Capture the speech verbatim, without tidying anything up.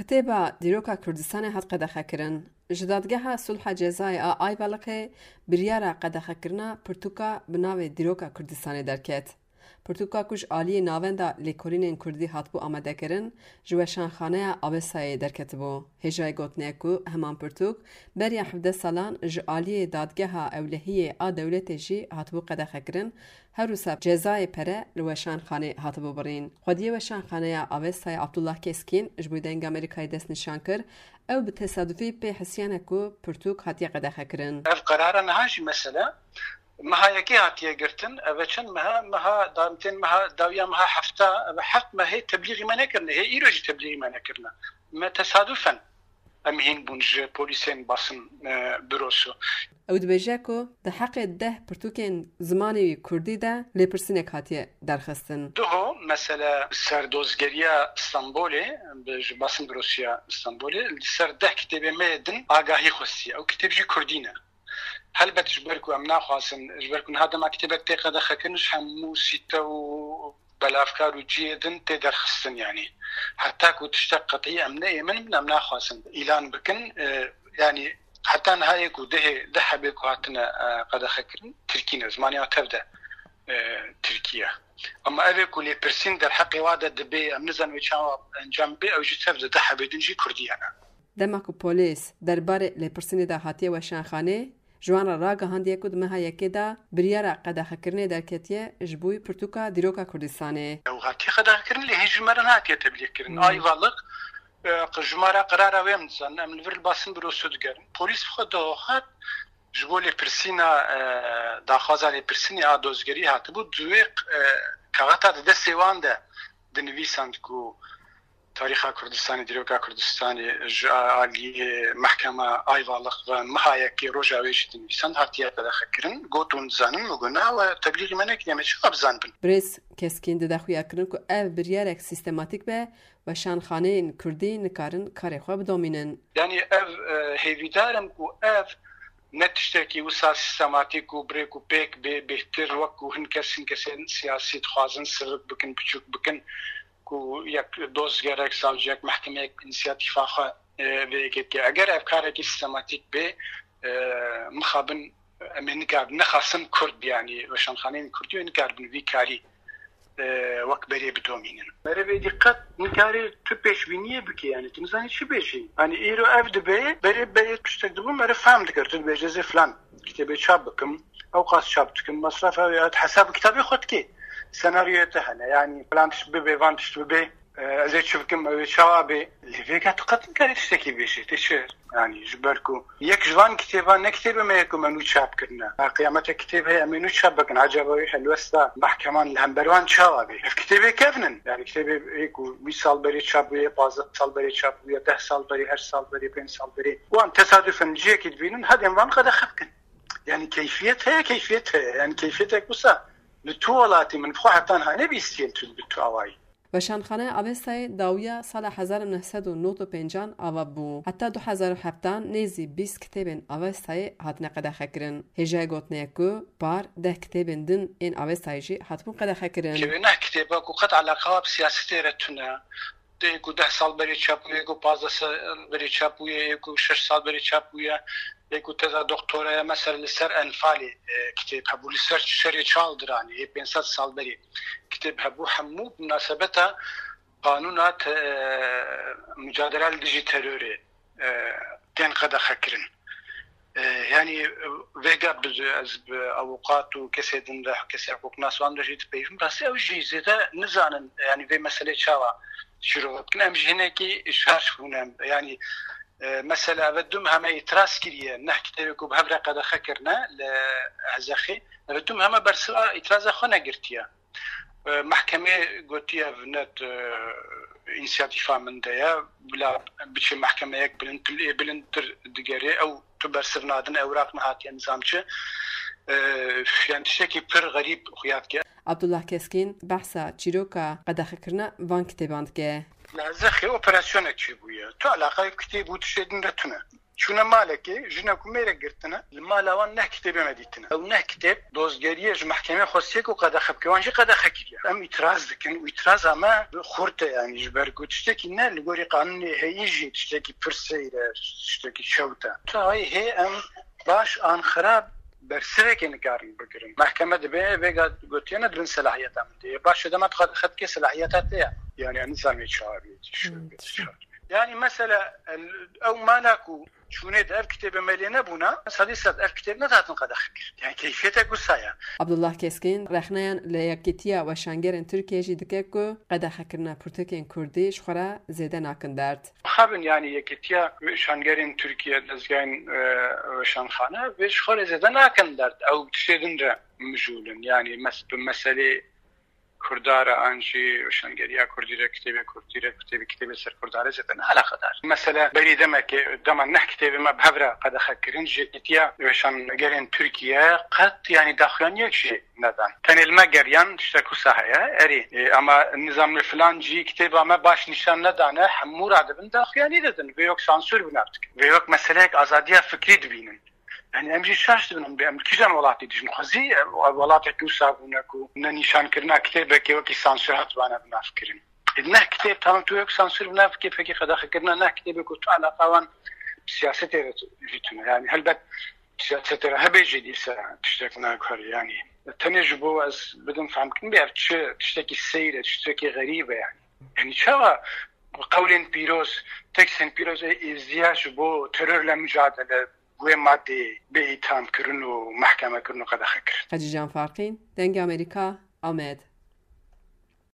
Kitêba Dîroka Kurdistanê hat qedexekirin. Ji Dadgeha Sulha Cezayê a Ayvalıkê biryara qedexekirina pirtûka bi navê Dîroka Kurdistanê derket. Pirtûka ku ji aliyê Navenda Lêkolînên Kurdî hatibû amadekirin, ji Weşanxaneya Avestayê derketibû. Hêjayê gotinê ye ku heman pirtûk beriya hevdeh salan ji aliyê Dadgeha Ewlehiyê a dewletê jî hatibû qedexekirin, her wisa cezayê pere li Weşanxanê hatibû birîn. Xwediyê Weşanxaneya Avestayê Abdullah Keskîn ji bo Dengê Amerîkayê destnîşan kir, ew bi tesadufî pê hesiyane ku pirtûk hatiye qedexekirin. Ev qerara niha jî mesela meha yekê hatiye girtin, ev e çend meha, meha da-, tên meha dawiya meha hefta, ev e heft meh hê teblîxî me nekirine, hê îro jî teblîxî me nekirine. Me tesadufen em hîn bûn ji polîsên basın, e, bürosu. Ew dibêje ku di heqê deh pirtûkên zimanê wî kurdî de lêpirsînek hatiye derxistin. Duho, mesela, serdozgeriya Stenbolê, bi, ji basın bürosiya Stenbolê, li ser deh kitêbê me yê din agahî xwestiye. Ew kitêb jî kurdî ne. Helbet ji ber ku em naxwazin, ji ber ku niha dema kitêbek tê qedexekirin, ji hemû sîte û belavkar û cihê din tê derxistin, yanî heta ku tiştek qetî em neêmin, em naxwazin îlan bikin. E, yanî heta niha yê ku dehê, deh hebê ku hatine, e, qedexekirin, tirkî ne, zimanê wan tev de, e, tirkî ye. Ama ev ê ku lêpirsîn derheqê wa de dibe, em nizanin wê çawa encam bê, ew jî tev de deh hebê din jî kurdî ye ne. Dema ku polîs derbarê lêpirsînê de hatiye weşanxanê, ji wan re ragihandiye ku di meha yekê de biryara qedexekirinê derketiye ji bo pirtûka Dîroka Kurdistanê. Ew hatiye qedexekirin, lê hê ji me re nehatiye teblîxkirin. Hmm. Ayvalık, e, ji me re qerara wê em dizanin, em li vir li basın bürosu digerin. Polîs bi xwe dihat, ji bo lêpirsîna, e, daxwaza lêpirsînê a dozgerî hatibû, di wê, e, kaxeta di destê wan de dinivîsand ku Tarîxa Kurdistanê, Dîroka Kurdistanê ji aliyê Mehkema Ayvalık ve meha yekê roja wê jî dinivîsand hatiye qedexekirin. Got, hûn dizanin? Min got, na, we teblîxî me nekiriye, me çawa bizanibin? Birêz Keskîn dide xuyakirin ku ev biryarek sîstematîk be, weşanxaneyên kurdî nikarin karê xwe bidomînin. Yanî ev, e, hêvîdar im ku ev ne tiştekî wisa sîstematîk û bi rêk û pêk bê, bêhtir wek ku hin kes, hin kesên siyasî dixwazin sivik bikin, biçûk bikin, ku yek dozgerek, savciyek, mehkemeyek bi însiyatîfa xwe, e, vê yekê dike. Eger ev karekî sîstematîk bê, e, mixabin em ê nikar-, nexasim Kurd, yanî weşanxaneyên Kurdî wê nikarbin vî karî, e, wek berê bidomînin. Merivê dîqet nikarê tu pêşbîniyê bike, yanî tu nizanî çi bêjî. Yanî îro ev dibe, berê, berê tiştek dibû, meriv fehm dikir, tu dibêje zê filan kitêbê çap bikim, ew qas çap dikim, mesref ew ya, tu hesab kitabê xwe dikê. Senaryoyê te hene, yanî filan tişt bibe, van tişt bibe, e, ez ê çi bikim, ew ê çawa bê. Lê vêga tu qet nikarî tiştekî bêjî, tê çi? Yanî ji ber ku yek ji van kitêban ne kitêbê me ye ku me nû çap kirine. Ha, qiyamete kitêb heye, em ê nû çap bikin. Ecaba wê helwesta mehkeman li hember wan çawa bê? Ev kitêbê kevn in. Yanî kitêbê ê ku bîst sal berê çap bûye, pazdeh sal berê çap bûye, deh sal berê, heşt sal berê, pênc sal berê. Wan tesadufên cihekî dibînin, hedên van qedexe bikin. Yanî keyfiyet heye, keyfiyet heye. Yanî keyfiyetek wisa li tu welatî min bi xwe heta niha nebîstiye li tu, bi tu awayî. Weşanxaneya Avestayê dawiya sala hezar û neh sed û nod û pêncan ava bû. Heta du hezar û heftan nêzî bîst kitêbên Avestayê hatine qedexekirin. Hêjayê gotinê ye ku par deh kitêbên din ên Avestayê jî hatibûn qedexekirin. Kevê neh kitêba ku qet eleqa bi siyasetê re tune. Yê ku deh sal berê çap bûye, yê ku pazdeh sal berê çap bûye, yê ku şeş sal berê çap bûye, yê ku teza doktoraya mesela li ser Enfalê, e, kitêb hebû, li ser şerê Çaldiranê, yê pênc sed sal berê kitêb hebû, hemû bi minasebeta qanûna te-, e, mucadele li dijî terorê, e, tên qedexekirin. E, yanî, e, vêga bi, ez bi avûqat û kesê din de, kesê hiqûqnas wan de jî dipeyivim. Rastî ew jî zêde nizanin, yanî vê meselê çawa şîrove bikin. Em ji hinekî şaş bûne. Yanî, e, mesela ev dum heme îtiraz kiriye, neh kitêbê ku bi hev re qedexe kirine li Hezexê, ev dum heme bersiva îtiraza xwe negirtiye. E, mehkemê gotiye, ev ne, e, însiyatîfa min de ye, bila biçe mehkemeyek bilindtir, ê bilindtir digerê, ew tu bersiv nadin, ewraq nehatiye nizam çi. E, yani tiştekî pir xerîb xuya dike. Abdullah Keskîn behsa çîroka qedexekirina van kitêban dike. Li Hezexê operasyonek çêbûye. Tu eleqayê kitêb û tiştê din re tune. Çûne malekê, jinek û mêrek girtine, li mala wan neh kitêbê me dîtine. Ew neh kitêb dozgeriyê ji mehkemê xwestiye ku qedexe bike, wan jî qedexe kiriye. Em îtiraz dikin û îtiraza me xurt e, yanî ji ber ku tiştekî ne li gorî qanûnê heyî jî tiştekî pir seyr e, tiştekî çewt e. Çaxê hê em baş an xirab bersivekê nikarin bigirin. Mehkeme dibe vêga gotiye ne di bin selahiyeta min de ye. Baş e dema tu qedexe dikê selahiyeta te ye. Yanî em nizanê çawa bê. Hmm, tişt. Yani mesela el- ew mala ku çûnê de ev kitêbe me lê nebûna, sedî sed ev kitêb nedatin qedexe kir. Yani keyfiyete gusa ya. Abdullah Keskin rexneyan li Yekîtiya Weşangerên Tirkiye jî dike ku qedexekirina pirtûkên kurdî ji xwe re zêde nakin derd. Xabin yani Yekîtiya Weşangerên Tirkiye, dezgehên e, weşanxane vê ji xwe re zêde nakin derd. Ew tiştê din re mijûl in. Yani mes- bi meselê Kurda re an jî weşangeriya Kurdî re, kitêbê Kurdî re, kitêbê kitêbê ser Kurda re zêde ne eleqedar. Mesela berî demekê, dema neh kitêbê me bi hev re qedexe kirin, ji Yekîtiya Weşangerên Tirkiye qet, yanî daxuyaniyek jî nedan. Tenê li me geriyan tiştek wisa heye, erê, e, ama nizam li filan cî kitêba me baş nîşan nedane, hemû radibin daxuyanî didin. Vê wek sansûr bi nav dikin. Vê wek meseleyek azadiya fikrî dibînin. Yani em jî şaş dibin, em, em li kîjan welatê dijîn? Xwezî e, welatekî wisa bûne ku ne nîşankirina kitêbekê wekî sansûr hatibane bi nav kirin. Ê, neh kitêb, tamam, tu wek sansûr bi nav bikê, pekî qedexekirina neh kitêbê ku tu eleqa wan bi siyasetê re jî tune. Yani helbet siyasetê re hebe jî dîsa tiştek naguherî. Yani tenê ji bo ez bidim fehmkirin bê ev çi tiştekî seyr e, tiştekî xerîb e yani. Yani çawa qewlên pîroz, tekstên pîroz ê êziya ji bo terorle mücadele, wê madê bê îthamkirin û mehkemekirin û qedexekirin. Hecî Can Farqîn, Dengê Amerîka, Amed.